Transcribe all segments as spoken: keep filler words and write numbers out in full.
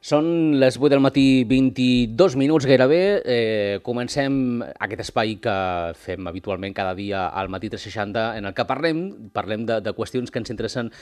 Són les vuit del matí, vint-i-dos minuts gairebé. Eh, comencem aquest espai que fem habitualment cada dia al matí tres seixanta, en el que parlem, parlem de, de qüestions que ens interessen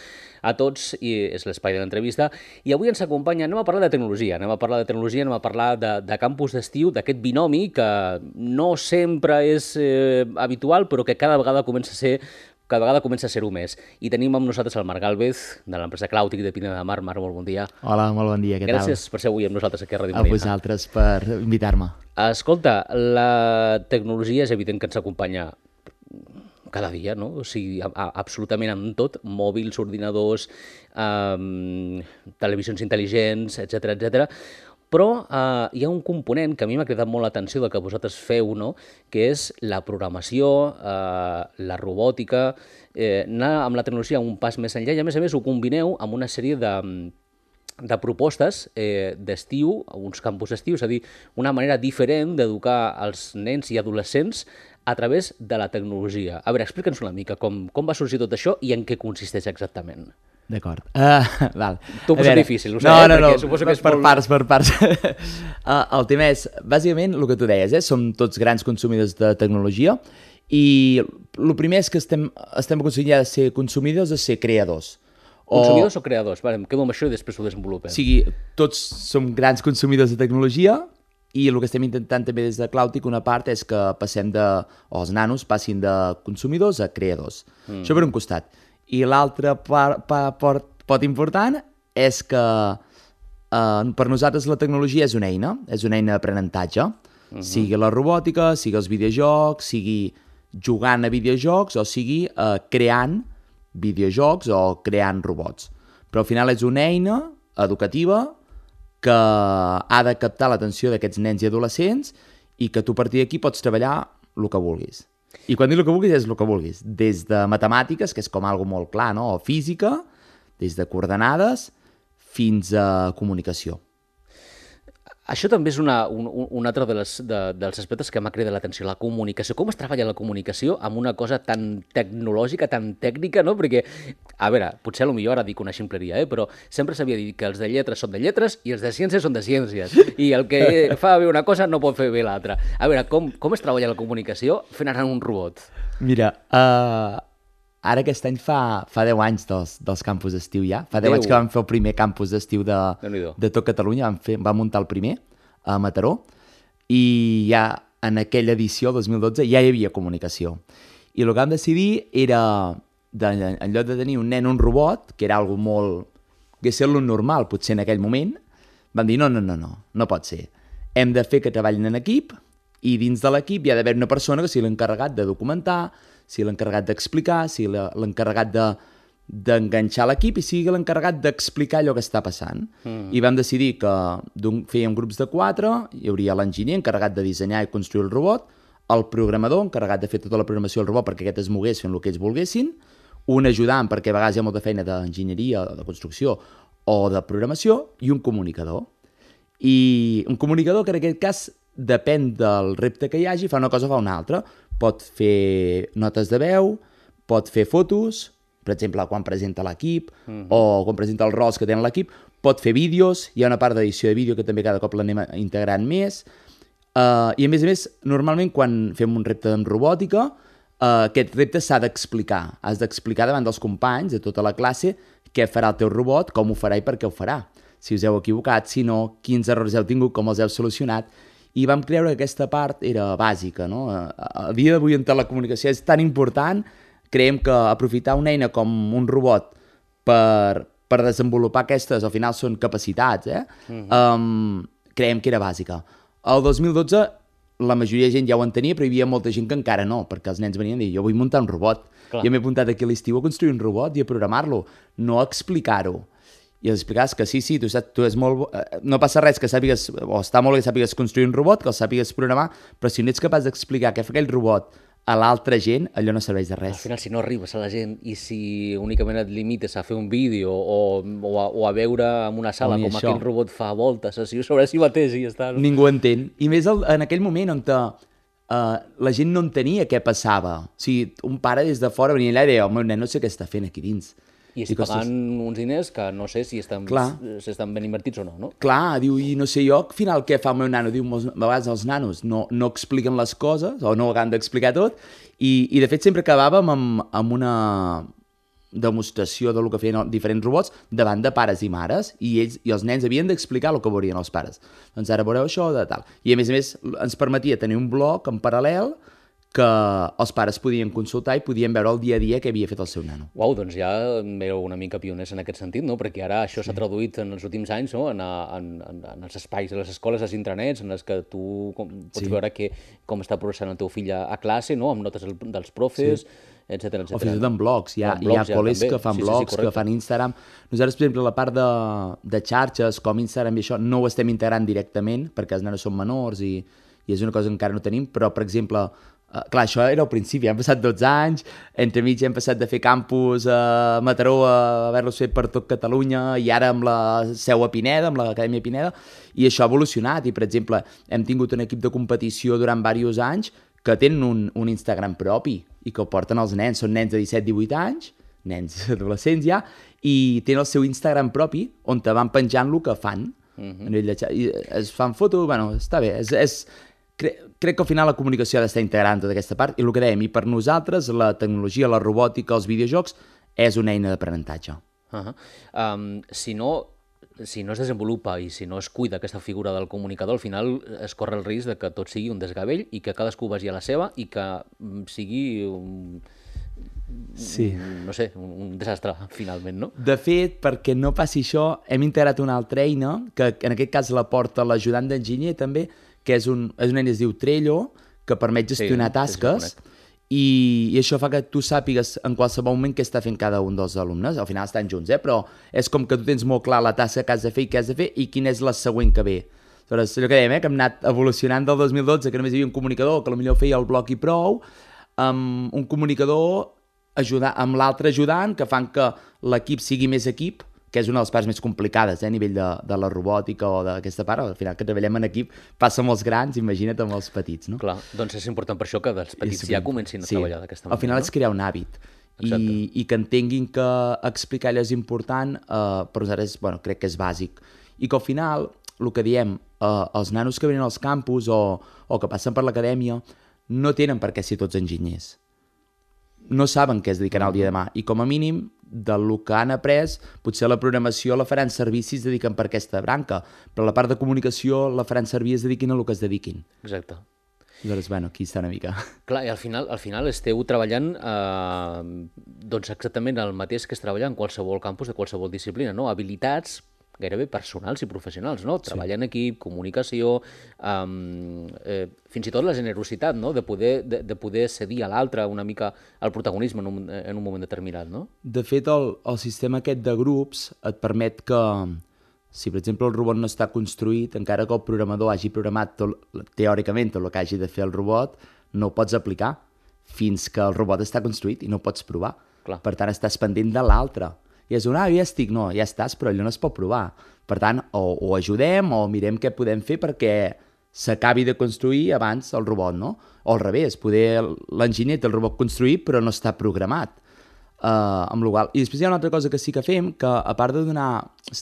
a tots, i és l'espai de l'entrevista. I avui ens acompanya, anem a parlar de tecnologia, anem a parlar de tecnologia, anem a parlar de, de campus d'estiu, d'aquest binomi que no sempre és eh, habitual, però que cada vegada comença a ser cada vegada comença a ser-ho més. I tenim amb nosaltres el Marc Gálvez, de l'empresa Clàutic de Pineda de Mar. Marc, molt bon dia. Hola, molt bon dia, què tal? Gràcies per ser avui amb nosaltres aquí a Ràdio A Marina. vosaltres per invitar-me. Escolta, la tecnologia és evident que ens acompanya cada dia, no? O sigui, a, a, absolutament amb tot, mòbils, ordinadors, um, televisions intel·ligents, etcètera, etcètera. Però eh, hi ha un component que a mi m'ha cridat molt l'atenció del que vosaltres feu, no? Que és la programació, eh, la robòtica, eh, anar amb la tecnologia un pas més enllà, i a més a més ho combineu amb una sèrie de, de propostes eh, d'estiu, uns campus d'estiu, és a dir, una manera diferent d'educar els nens i adolescents a través de la tecnologia. A veure, explica'ns una mica com, com va sorgir tot això i en què consisteix exactament. D'acord. Uh, val. T'ho posa difícil, ho sé, no, eh? no, no, Perquè suposo que és per molt... parts, per parts. uh, el tema és, bàsicament, el que tu deies, eh? Som tots grans consumidors de tecnologia i el primer és que estem, estem aconseguint ja de ser consumidors a ser creadors. Consumidors o, o creadors? Vale, em quedo amb això i després ho desenvolupem. O sigui, tots som grans consumidors de tecnologia i el que estem intentant també des de Clàutic, una part és que passem de, o els nanos passin de consumidors a creadors. Mm. Això per un costat. I l'altre pot important és que eh, per nosaltres la tecnologia és una eina, és una eina d'aprenentatge, uh-huh. sigui la robòtica, sigui els videojocs, sigui jugant a videojocs o sigui eh, creant videojocs o creant robots. Però al final és una eina educativa que ha de captar l'atenció d'aquests nens i adolescents i que tu a partir d'aquí pots treballar el que vulguis. I quan dic el que vulguis és el que vulguis, des de matemàtiques, que és com algo molt clar, no? O física, des de coordenades, fins a comunicació. Això també és una, un, un altre de les, de, dels aspectes que m'ha cridat l'atenció, la comunicació. Com es treballa la comunicació amb una cosa tan tecnològica, tan tècnica, no? Perquè, a veure, potser potser ara dic una ximpleria, eh? Però sempre s'havia dit que els de lletres són de lletres i els de ciències són de ciències. I el que fa bé una cosa no pot fer bé l'altra. A veure, com, com es treballa la comunicació fent anar un robot? Mira, uh, ara aquest any fa, fa deu anys dels, dels campus d'estiu ja. Fa deu anys que vam fer el primer campus d'estiu de, de tot Catalunya. Vam, fer, vam muntar el primer a Mataró i ja en aquella edició, dos mil dotze, ja hi havia comunicació. I el que vam decidir era, de, en lloc de tenir un nen un robot, que era algo molt... que és lo normal, potser en aquell moment, vam dir no, no, no, no, no pot ser. Hem de fer que treballin en equip i dins de l'equip hi ha d'haver una persona que sigui l'encarregat de documentar, sigui l'encarregat d'explicar, sigui l'encarregat de, d'enganxar l'equip i sigui l'encarregat d'explicar allò que està passant. Mm. I vam decidir que fèiem grups de quatre, hi hauria l'enginyer encarregat de dissenyar i construir el robot, el programador encarregat de fer tota la programació del robot perquè aquest es mogués fent el que ells volguessin, un ajudant perquè a vegades hi ha molta feina d'enginyeria, de construcció o de programació, i un comunicador. I un comunicador que en aquest cas depèn del repte que hi hagi, fa una cosa o fa una altra. Pot fer notes de veu, pot fer fotos, per exemple, quan presenta l'equip, uh-huh. o quan presenta els rols que tenen l'equip, pot fer vídeos, hi ha una part d'edició de vídeo que també cada cop l'anem integrant més, uh, i a més a més, normalment quan fem un repte en robòtica, uh, aquest repte s'ha d'explicar, has d'explicar davant dels companys de tota la classe què farà el teu robot, com ho farà i per què ho farà, si us heu equivocat, si no, quins errors heu tingut, com els heu solucionat, i vam creure que aquesta part era bàsica, no? A, a dia d'avui en telecomunicació és tan important. Creiem que aprofitar una eina com un robot per, per desenvolupar aquestes, al final són capacitats, eh? Uh-huh. um, creiem que era bàsica. El dos mil dotze la majoria de gent ja ho entenia, però hi havia molta gent que encara no, perquè els nens venien a dir, jo vull muntar un robot. Clar. Jo m'he apuntat aquí a l'estiu a construir un robot i a programar-lo, no a explicar-ho. I els explicaves que sí, sí, tu, saps, tu és molt... no passa res que sàpigues, o està molt bé que sàpigues construir un robot, que el sàpigues programar, però si no ets capaç d'explicar què fa aquell robot a l'altra gent, allò no serveix de res. Al final, si no arribes a la gent i si únicament et limites a fer un vídeo o, o, a, o a veure en una sala com això. Aquell robot fa voltes sobre si mateix i ja està. No? Ningú entén. I més el, en aquell moment on te, uh, la gent no entenia què passava. O sigui, un pare des de fora venia allà i deia, el meu nen no sé què està fent aquí dins. I estic pagant uns diners que no sé si estan, si estan ben invertits o no, no? Clar, diu, i no sé jo, al final què fa el meu nano? Diu, a vegades els nanos no, no expliquen les coses, o no han d'explicar tot, i, i de fet sempre acabàvem amb, amb una demostració del que feien diferents robots davant de pares i mares, i ells i els nens havien d'explicar el que veurien els pares. Doncs ara veureu això, de tal. I a més a més ens permetia tenir un blog en paral·lel que els pares podien consultar i podien veure el dia a dia què havia fet el seu nano. Uau, doncs ja éreu una mica pioners en aquest sentit, no? Perquè ara això s'ha sí. traduït en els últims anys, no? en, en, en, en els espais, a les escoles, als intranets, en les que tu pots sí. veure que, com està progressant el teu fill a, a classe, no? Amb notes dels profes, sí. etcètera, etcètera. O fins i tot en blogs. Hi ha, en blogs, hi ha col·les ja, que fan sí, blogs, sí, sí, que fan Instagram. Nosaltres, per exemple, la part de, de xarxes, com Instagram i això, no ho estem integrant directament, perquè els nanos són menors i, i és una cosa que encara no tenim, però, per exemple, Uh, clar, això era al principi, han passat dotze anys, entremig hem passat de fer campus a Mataró a haver-los fet per tot Catalunya i ara amb la seu a Pineda, amb l'Acadèmia Pineda, i això ha evolucionat i, per exemple, hem tingut un equip de competició durant diversos anys que tenen un, un Instagram propi i que ho porten els nens, són nens de disset divuit anys, nens adolescents ja, i tenen el seu Instagram propi on te van penjant el que fan. Uh-huh. A nivell de xat... I es fan fotos, bueno, està bé, és... és... Cre crec que al final la comunicació ha d'estar integrant tota aquesta part, i el que dèiem, i per nosaltres la tecnologia, la robòtica, els videojocs és una eina d'aprenentatge. Uh-huh. um, si no si no es desenvolupa i si no es cuida aquesta figura del comunicador, al final es corre el risc de que tot sigui un desgavell i que cadascú vagi a la seva i que sigui un, sí. no sé, un, un desastre finalment, no? De fet, perquè no passi això, hem integrat una altra eina que en aquest cas la porta l'ajudant d'enginyer també, que és, un, és una eina que es diu Trello, que permet gestionar sí, tasques, i, i això fa que tu sàpigues en qualsevol moment què està fent cada un dels alumnes. Al final estan junts, eh? Però és com que tu tens molt clar la tasca que has de fer i què has de fer i quina és la següent que ve. Aleshores, allò que dèiem, eh? Que hem anat evolucionant del dos mil dotze, que només hi havia un comunicador, que potser feia el bloc i prou, amb un comunicador ajudar, amb l'altre ajudant, que fan que l'equip sigui més equip, que és una de les parts més complicades, eh, a nivell de, de la robòtica o d'aquesta part. Al final, que treballem en equip, passa amb els grans, imagina't amb els petits, no? Clar, doncs és important per això que dels petits ja comencin a sí. treballar d'aquesta manera. Al final no? És crear un hàbit. I, I que entenguin que explicar allò és important, eh, per nosaltres, bueno, crec que és bàsic. I que al final, el que diem, eh, els nanos que venen als campus o, o que passen per l'acadèmia no tenen per què ser tots enginyers. No saben què es dedicaran el dia de demà. I com a mínim, del que han après, potser la programació la faran servir si es dediquen per aquesta branca, però la part de comunicació la faran servir es dediquin a el que es dediquin. Exacte. Aleshores, bueno, aquí està una mica. Clar, i al final, al final esteu treballant eh, doncs exactament el mateix que es treballa en qualsevol campus de qualsevol disciplina, no? Habilitats gairebé personals i professionals, no? Treballar sí. en equip, comunicació, um, eh, fins i tot la generositat, no? De poder, de, de poder cedir a l'altre una mica el protagonisme en un, en un moment determinat, no? De fet, el, el sistema aquest de grups et permet que, si per exemple el robot no està construït, encara que el programador hagi programat tot, teòricament tot el que hagi de fer el robot, no ho pots aplicar fins que el robot està construït i no ho pots provar. Clar. Per tant, estàs pendent de l'altre. I és un, ah, ja estic, no, ja estàs, però allò no es pot provar. Per tant, o, o ajudem o mirem què podem fer perquè s'acabi de construir abans el robot, no? O al revés, poder l'enginyer té el robot construït però no està programat. Uh, amb l'igual. I després hi ha una altra cosa que sí que fem, que a part de donar...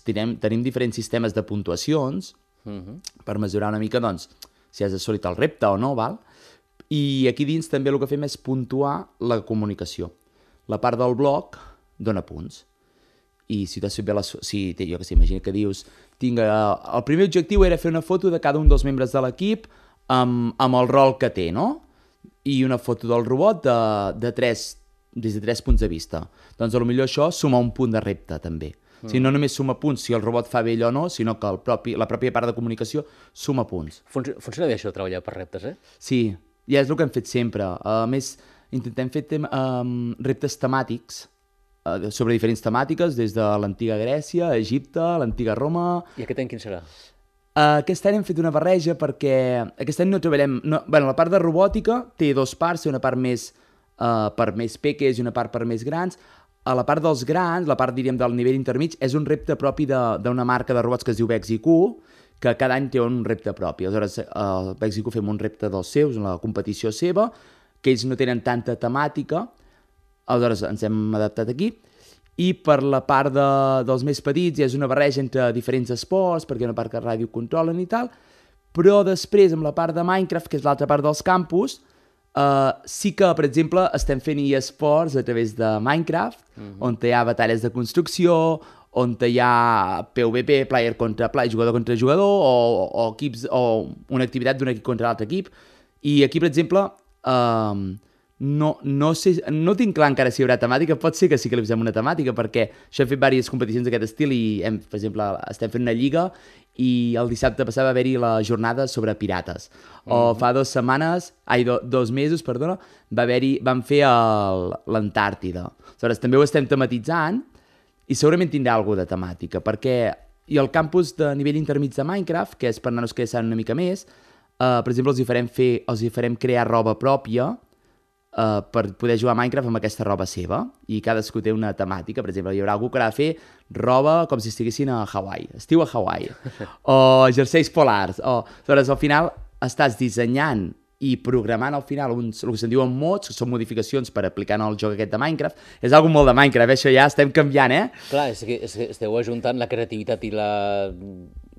Tenim, tenim diferents sistemes de puntuacions uh-huh. per mesurar una mica, doncs, si has assolit el repte o no, val? I aquí dins també el que fem és puntuar la comunicació. La part del bloc dona punts. I si t'has fet bé la... Si, jo que sé, imagina que dius... Tinc, uh, el primer objectiu era fer una foto de cada un dels membres de l'equip amb, amb el rol que té, no? I una foto del robot de, de tres, des de tres punts de vista. Doncs potser això suma un punt de repte, també. Mm. O sigui, no només suma punts si el robot fa bé allò o no, sinó que el propi, la pròpia part de comunicació suma punts. Fun Funciona bé això de treballar per reptes, eh? Sí, ja és el que hem fet sempre. A més, intentem fer tem um, reptes temàtics, sobre diferents temàtiques, des de l'antiga Grècia, Egipte, l'antiga Roma... I aquest any quin serà? Uh, aquest any hem fet una barreja perquè aquest any no treballem... No, bueno, la part de robòtica té dos parts, una part més uh, per més peques i una part per més grans. A la part dels grans, la part, diríem, del nivell intermig, és un repte propi d'una marca de robots que es diu Bexiq, que cada any té un repte propi. Aleshores, a uh, Bexiq fem un repte dels seus, una competició seva, que ells no tenen tanta temàtica. Aleshores ens hem adaptat aquí I per la part de, dels més petits és una barreja entre diferents esports, perquè hi ha una part que ràdio controlen i tal, però després amb la part de Minecraft, que és l'altra part dels campus, uh, sí que, per exemple, estem fent eSports a través de Minecraft, uh-huh. on hi ha batalles de construcció, on hi ha P V P, player contra player, jugador contra jugador, o, o, equips, o una activitat d'un equip contra l'altre equip. I aquí, per exemple, uh, no, no, sé, no tinc clar encara si hi haurà temàtica, pot ser que sí que li posem una temàtica, perquè això hem fet diverses competicions d'aquest estil i, hem, per exemple, estem fent una lliga i el dissabte passat va haver-hi la jornada sobre pirates. O mm-hmm. fa dues setmanes, ai, do, dos mesos, perdona, va haver-hi, vam fer l'Antàrtida. Aleshores, també ho estem tematitzant i segurament tindrà alguna de temàtica, perquè i el campus de nivell intermig de Minecraft, que és per nanos que ja saben una mica més, uh, per exemple, els hi farem, fer, els hi farem crear roba pròpia uh, per poder jugar a Minecraft amb aquesta roba seva, i cadascú té una temàtica. Per exemple, hi haurà algú que haurà de fer roba com si estiguessin a Hawaii, estiu a Hawaii, o jerseis polars, o... Aleshores, al final estàs dissenyant i programant al final uns, el que se'n diuen mods, que són modificacions per aplicar en el joc aquest de Minecraft. És algo molt de Minecraft, eh? Això ja estem canviant, eh? Clar, és que, és que esteu ajuntant la creativitat i la,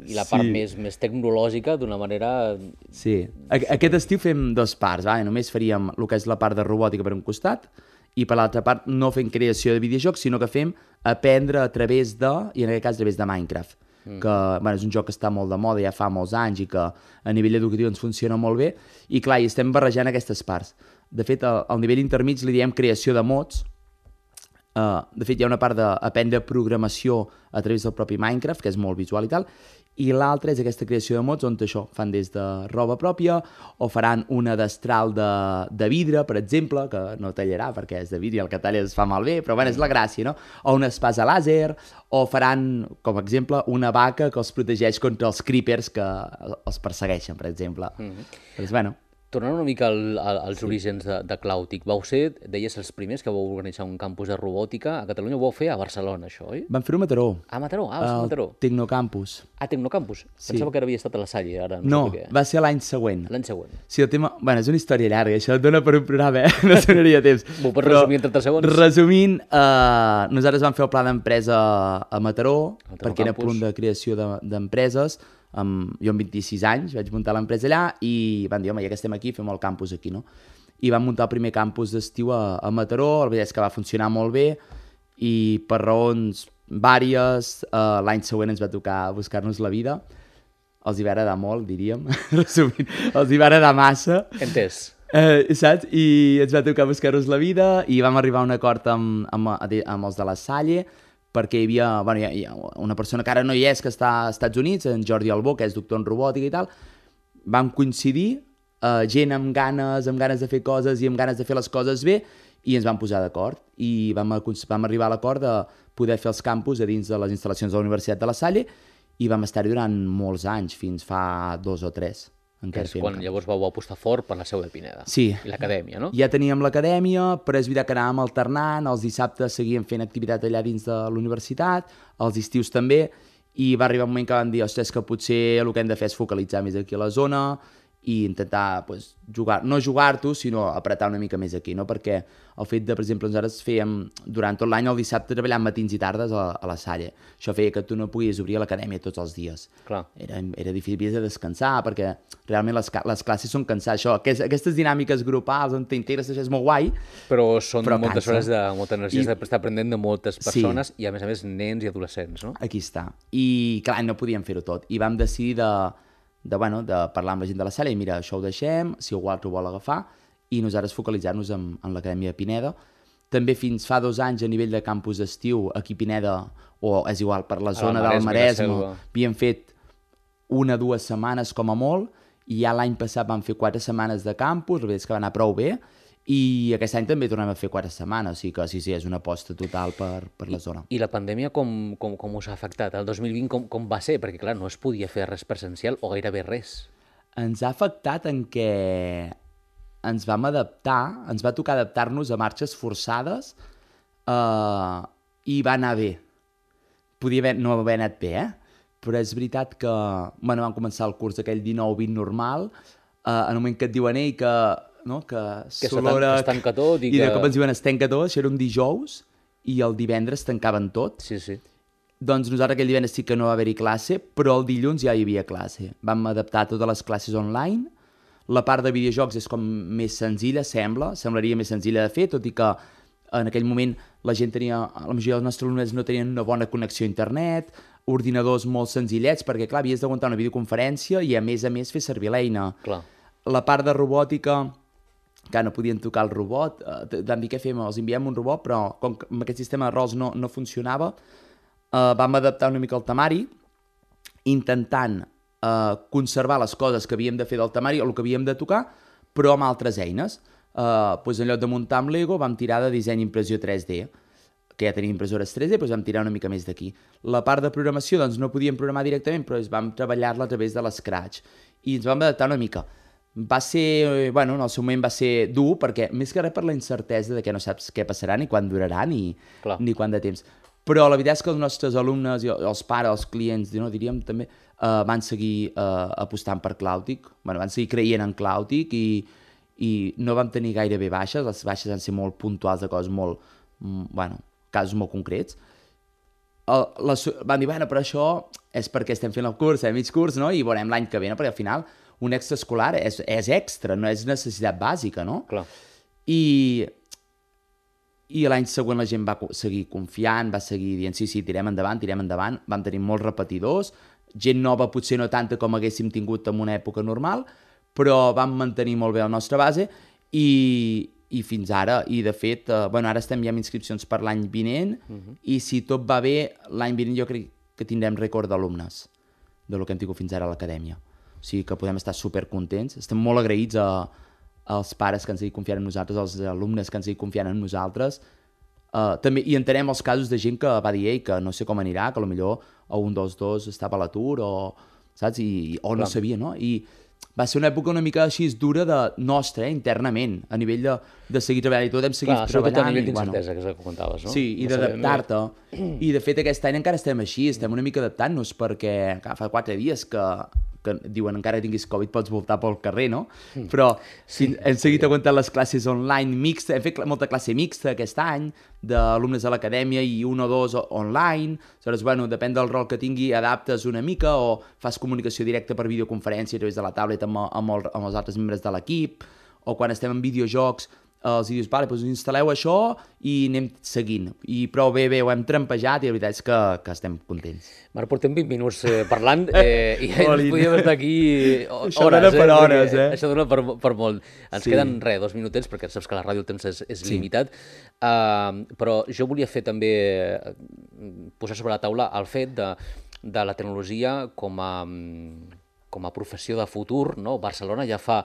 i la part sí. més, més tecnològica d'una manera... Sí. Aquest estiu fem dos parts, va? Només faríem el que és la part de robòtica per un costat i per l'altra part no fem creació de videojocs, sinó que fem aprendre a través de, i en aquest cas a través de Minecraft. Mm. Que bueno, és un joc que està molt de moda, ja fa molts anys i que a nivell educatiu ens funciona molt bé, i clar, hi estem barrejant aquestes parts. De fet, al, al nivell intermig li diem creació de mods. Uh, de fet, hi ha una part d'aprendre programació a través del propi Minecraft, que és molt visual i tal, i l'altra és aquesta creació de mods on això, fan des de roba pròpia, o faran una destral de, de vidre, per exemple, que no tallarà perquè és de vidre i el que talla es fa malbé, però bueno, és la gràcia, no? O una espasa làser, o faran, com a exemple, una vaca que els protegeix contra els creepers que els persegueixen, per exemple. Mm-hmm. Doncs, bueno... Tornant una mica al, al, als sí. orígens de, de Clàutic, vau ser, deies, els primers que vau organitzar un campus de robòtica a Catalunya, ho vau fer a Barcelona, això, oi? Vam fer-ho a Mataró. A Mataró, ah, a Mataró. Tecnocampus. Ah, Tecnocampus. Sí. Pensava que havia estat a la Salle, ara no, no sé què. Va ser l'any següent. L'any següent. Sí, el tema... Bueno, és una història llarga, això et dona per un programa, eh? No sonaria temps. M'ho pots resumir en trenta segons? Resumint, eh, nosaltres vam fer el pla d'empresa a Mataró, perquè era punt de creació d'empreses. De, Um, jo amb vint-i-sis anys vaig muntar l'empresa allà i van dir, home, ja que estem aquí, fem el campus aquí, no? I vam muntar el primer campus d'estiu a, a Mataró, la veritat és que va funcionar molt bé i per raons vàries, uh, l'any següent ens va tocar buscar-nos la vida. Els hi va agradar molt, diríem, resumint, els hi va agradar massa. Entès. Uh, saps? I ens va tocar buscar-nos la vida i vam arribar a un acord amb, amb, amb els de la Salle, perquè hi havia, bueno, hi ha, hi ha una persona que ara no hi és, que està als Estats Units, en Jordi Albó, que és doctor en robòtica i tal. Vam coincidir, eh, gent amb ganes, amb ganes de fer coses i amb ganes de fer les coses bé, i ens vam posar d'acord. I vam, vam arribar a l'acord de poder fer els campus a dins de les instal·lacions de la Universitat de la Salle, i vam estar-hi durant molts anys, fins fa dos o tres. Que és quan campus. Llavors vau apostar fort per la seu de Pineda. Sí. I l'acadèmia, no? Ja teníem l'acadèmia, però és veritat que anàvem alternant, els dissabtes seguíem fent activitat allà dins de la universitat, els estius també, i va arribar un moment que vam dir, ostres, que potser el que hem de fer és focalitzar més aquí a la zona i intentar pues, jugar, no jugar-t'ho, sinó apretar una mica més aquí, no? Perquè el fet de, per exemple, nosaltres fèiem durant tot l'any el dissabte treballant matins i tardes a, a la Salle. Això feia que tu no puguis obrir l'acadèmia tots els dies. Clar. Era, era difícil de descansar, perquè realment les, les classes són cansar. Això, aquest, aquestes dinàmiques grupals on t'integres és molt guai, però són però moltes cansa. Hores de molta energia, I... d'estar aprenent de moltes persones, sí. I a més a més nens i adolescents, no? Aquí està. I clar, no podíem fer-ho tot. I vam decidir de... De, bueno, de parlar amb la gent de la sala i mira, això ho deixem, si algú altre ho vol agafar, i nosaltres focalitzar-nos en, en l'Acadèmia de Pineda. També fins fa dos anys a nivell de campus d'estiu aquí a Pineda, o és igual, per la zona del Maresme, havíem fet una o dues setmanes com a molt, i ja l'any passat vam fer quatre setmanes de campus, la veritat és que va anar prou bé, i aquest any també tornem a fer quatre setmanes, o sigui que sí, sí, és una aposta total per, per la zona. I, i la pandèmia com, com, com us ha afectat? El dos mil vint com, com va ser? Perquè clar, no es podia fer res presencial o gairebé res. Ens ha afectat en què ens vam adaptar, ens va tocar adaptar-nos a marxes forçades eh, i va anar bé. Podia haver, no haver anat bé, eh? Però és veritat que bueno, vam començar el curs aquell dinou vint normal, eh, en el moment que et diuen ei que... No? Que, que s'olora, es tanca tot i, i que... de cop ens diuen es tanca tot, això era un dijous i el divendres tancaven tot. Sí, sí. Doncs nosaltres aquell divendres sí que no va haver-hi classe, però el dilluns ja hi havia classe. Vam adaptar totes les classes online. La part de videojocs és com més senzilla, sembla, semblaria més senzilla de fer, tot i que en aquell moment la gent tenia, la majoria dels nostres alumnes no tenien una bona connexió a internet, ordinadors molt senzillets, perquè clar, havies d'aguantar una videoconferència i a més a més fer servir l'eina. Clar. La part de robòtica, que no podien tocar el robot, eh, vam dir què fem, els enviem un robot, però com que amb aquest sistema de rols no, no funcionava, Uh, vam adaptar una mica el temari, intentant uh, conservar les coses que havíem de fer del temari o el que havíem de tocar, però amb altres eines. Uh, doncs en lloc de muntar amb Lego vam tirar de disseny impressió tres D, que ja tenim impressores tres D, doncs vam tirar una mica més d'aquí. La part de programació doncs no podíem programar directament, però vam treballar-la a través de l'Scratch i ens vam adaptar una mica. Va ser, bueno, en el seu moment va ser dur, perquè més que res per la incertesa de que no saps què passarà ni quan durarà ni, ni quant de temps. Però la veritat és que els nostres alumnes, i els pares, els clients, no, diríem també, uh, van seguir uh, apostant per Cloutic, bueno, van seguir creient en Cloutic i, i no vam tenir gairebé baixes, les baixes van ser molt puntuals de coses molt, mm, bueno, casos molt concrets. Uh, la, van dir, bueno, però això és perquè estem fent el curs, eh, mig curs, no? I veurem l'any que ve, no? Perquè al final un extraescolar és, és extra, no és necessitat bàsica, no? Clar. I... I l'any següent la gent va seguir confiant, va seguir dient sí, sí, tirem endavant, tirem endavant. Vam tenir molts repetidors, gent nova potser no tanta com haguéssim tingut en una època normal, però vam mantenir molt bé la nostra base i, i fins ara. I de fet, eh, bueno, ara estem ja amb inscripcions per l'any vinent uh-huh. i si tot va bé, l'any vinent jo crec que tindrem rècord d'alumnes del que hem tingut fins ara a l'acadèmia. O sigui que podem estar supercontents. Estem molt agraïts a els pares que ens seguit confiant en nosaltres, els alumnes que ens seguit confiant en nosaltres. Uh, també, I entenem els casos de gent que va dir Ei, que no sé com anirà, que potser o un dels dos estava a l'atur o, saps? I, o no sabia, no? I va ser una època una mica així dura de nostra, eh, internament, a nivell de, de seguir treballant i tot, hem seguit Clar, treballant. Clar, a nivell d'incertesa, bueno, que és el que comentaves, no? Sí, i no d'adaptar-te. I de fet aquest any encara estem així, estem una mica adaptant-nos perquè clar, fa quatre dies que que diuen encara que tinguis Covid pots voltar pel carrer, no? Però sí, hem seguit sí. aguantant les classes online mixta, hem fet molta classe mixta aquest any d'alumnes a l'acadèmia i un o dos online, aleshores, bueno, depèn del rol que tingui, adaptes una mica o fas comunicació directa per videoconferència a través de la tablet amb, amb, el, amb els altres membres de l'equip, o quan estem en videojocs els dius, vale, doncs instal·leu això i anem seguint. I prou bé, bé, ho hem trampejat i la veritat és que, que estem contents. Marc, portem vint minuts eh, parlant eh, i ens podíem estar aquí hores. Això dona per eh, hores, eh? Això dona per, per molt. Ens sí. queden, res, dos minutets, perquè saps que la ràdio el temps és, és sí. limitat. Uh, però jo volia fer també, posar sobre la taula el fet de, de la tecnologia com a... com a professió de futur, no? Barcelona ja fa,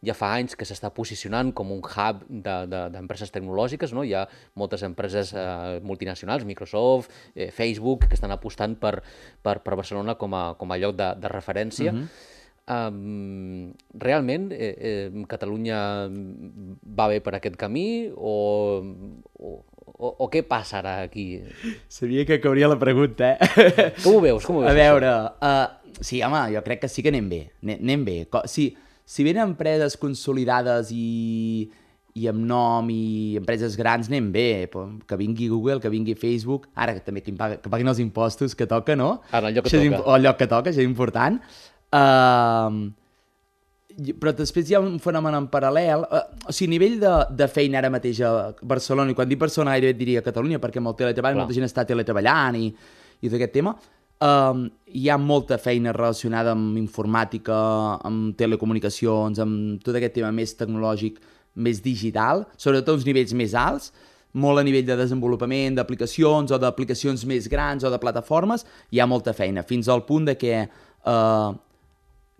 ja fa anys que s'està posicionant com un hub d'empreses de, de, tecnològiques, no? Hi ha moltes empreses eh, multinacionals, Microsoft, eh, Facebook, que estan apostant per, per, per Barcelona com a, com a lloc de, de referència. Uh-huh. um, realment, eh, eh, Catalunya va bé per aquest camí o... o O, o què passarà aquí? Sabia que cauria la pregunta, eh? Com ho veus? Com ho veus A veure, uh, sí, home, jo crec que sí que anem bé. Anem bé. Si, si venen empreses consolidades i, i amb nom i empreses grans, anem bé. Que vingui Google, que vingui Facebook, ara que també que, paga, que paguin els impostos que toca, no? Ara, el lloc que això toca. O el lloc que toca, això és important. Uh, però després hi ha un fenomen en paral·lel, uh, o sigui, a nivell de, de feina ara mateix a Barcelona, i quan dic Barcelona gairebé et diria Catalunya, perquè amb el teletreball molta gent està teletreballant i, i tot aquest tema, uh, hi ha molta feina relacionada amb informàtica, amb telecomunicacions, amb tot aquest tema més tecnològic, més digital, sobretot uns nivells més alts, molt a nivell de desenvolupament d'aplicacions o d'aplicacions més grans o de plataformes, hi ha molta feina, fins al punt de que uh,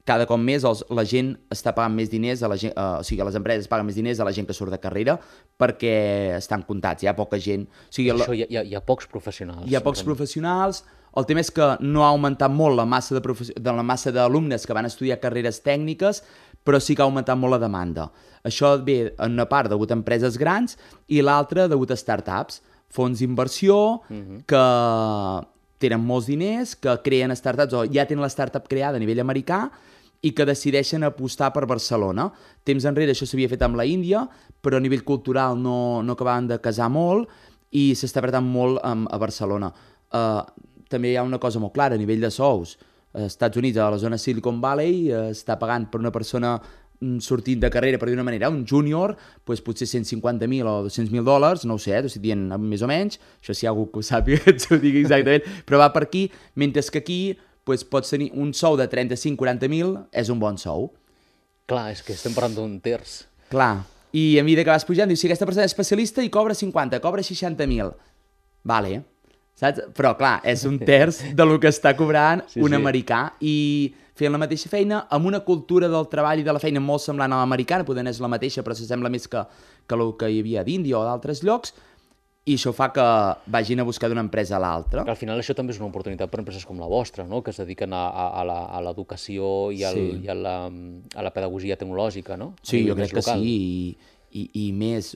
cada cop més els, la gent està pagant més diners, a la gent, uh, o sigui, les empreses paguen més diners a la gent que surt de carrera perquè estan comptats, hi ha poca gent. O sigui, Això, hi, ha, hi ha pocs professionals. Hi ha pocs professionals, el tema és que no ha augmentat molt la massa de, profe... de la massa d'alumnes que van estudiar carreres tècniques, però sí que ha augmentat molt la demanda. Això ve en una part degut a empreses grans i l'altra degut a startups, fons d'inversió, uh-huh. que tenen molts diners, que creen startups o ja tenen la startup creada a nivell americà i que decideixen apostar per Barcelona. Temps enrere això s'havia fet amb la Índia, però a nivell cultural no, no acabaven de casar molt i s'està apretant molt um, a Barcelona. Uh, també hi ha una cosa molt clara a nivell de sous. Als Estats Units, a la zona Silicon Valley, uh, està pagant per una persona sortint de carrera, per dir-una manera, un júnior, doncs potser cent cinquanta mil o dos-cents mil dòlars, no ho sé, t'ho estic dient més o menys, això si hi ha algú que ho sàpiga que ens ho digui exactament, però va per aquí, mentre que aquí doncs, pots tenir un sou de trenta-cinc a quaranta mil, és un bon sou. Clar, és que estem parlant d'un terç. Clar, i a mesura que vas pujant, dius, si aquesta persona és especialista i cobra cinquanta, cobra seixanta mil. Vale, saps? Però clar, és un terç de lo que està cobrant sí, un sí. americà i fent la mateixa feina, amb una cultura del treball i de la feina molt semblant a l'americana, poder és la mateixa, però s'assembla més que, que el que hi havia a d'Índia o d'altres llocs, i això fa que vagin a buscar d'una empresa a l'altra. Al final això també és una oportunitat per empreses com la vostra, no? Que es dediquen a, a, a l'educació i, al, sí. i a, la, a la pedagogia tecnològica, no? A sí, jo crec que sí, i, i, i més...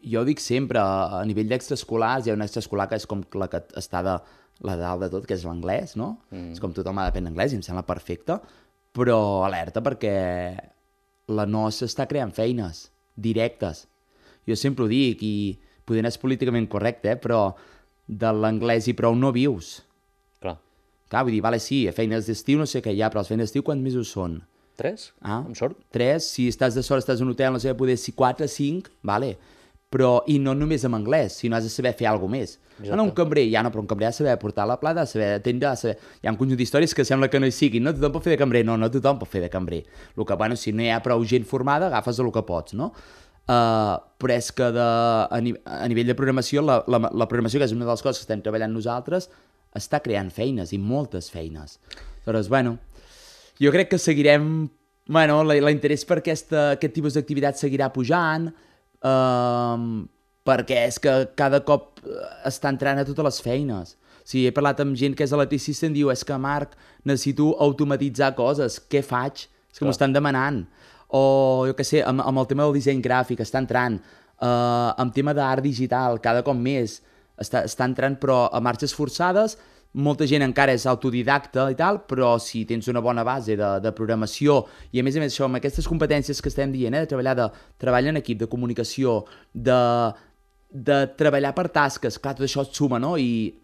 Jo dic sempre, a nivell d'extraescolars, hi ha una extraescolar que és com la que està de la dalt de tot, que és l'anglès, no? Mm. És com tothom ha d'aprendre anglès i em sembla perfecte, però alerta perquè la nostra està creant feines directes. Jo sempre ho dic, i poder no és políticament correcte, eh? Però de l'anglès i prou no vius. Clar. Clar, vull dir, vale, sí, feines d'estiu no sé què hi ha, però les feines d'estiu quants mesos són? Tres? Ah, amb sort? Tres, si estàs de sort, estàs en un hotel, no sé, poder ser quatre, cinc, vale. Però, i no només amb anglès, sinó has de saber fer alguna més. Ah, no, un cambrer, ja no, però un cambrer ha de saber portar la plata, ha de saber atendre, ha de saber... Hi ha un conjunt d'històries que sembla que no hi siguin, no tothom pot fer de cambrer, no, no tothom pot fer de cambrer. El que, bueno, si no hi ha prou gent formada, agafes el que pots, no? Uh, però és que de, a, ni, a nivell de programació, la, la, la programació, que és una de les coses que estem treballant nosaltres, està creant feines, i moltes feines. Aleshores, bueno, jo crec que seguirem... Bueno, l'interès per aquesta, aquest tipus d'activitat seguirà pujant, Uh, perquè és que cada cop està entrant a totes les feines. O sigui, he parlat amb gent que és electricista i em diu, és que Marc, necessito automatitzar coses, què faig? És que m'ho estan demanant. O, jo què sé, amb, amb el tema del disseny gràfic està entrant, uh, amb tema d'art digital, cada cop més està, està entrant, però a marxes forçades. Molta gent encara és autodidacta i tal, però si tens una bona base de, de programació i a més a més això, amb aquestes competències que estem dient, eh, de treballar de, treball en equip, de comunicació, de, de treballar per tasques, clar, tot això et suma, no? I,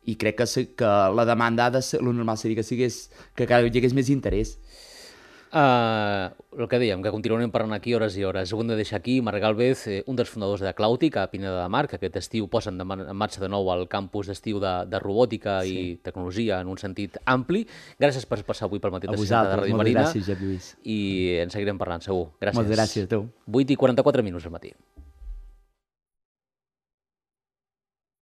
i crec que, que la demanda ha de ser, el normal seria que, sigués, que cada dia hi hagués més interès. Uh, el que dèiem, que continuarem parlant aquí hores i hores. Ho hem de deixar aquí. Marc Gálvez, eh, un dels fundadors de Clàutic, a Pineda de Mar, que aquest estiu posen de en marxa de nou el campus d'estiu de, de robòtica sí. i tecnologia en un sentit ampli. Gràcies per passar avui pel matí de Santa de Ràdio Marina. Gràcies, Josep Lluís. I en seguirem parlant, segur. Gràcies. Moltes gràcies a tu. vuit i quaranta-quatre minuts al matí.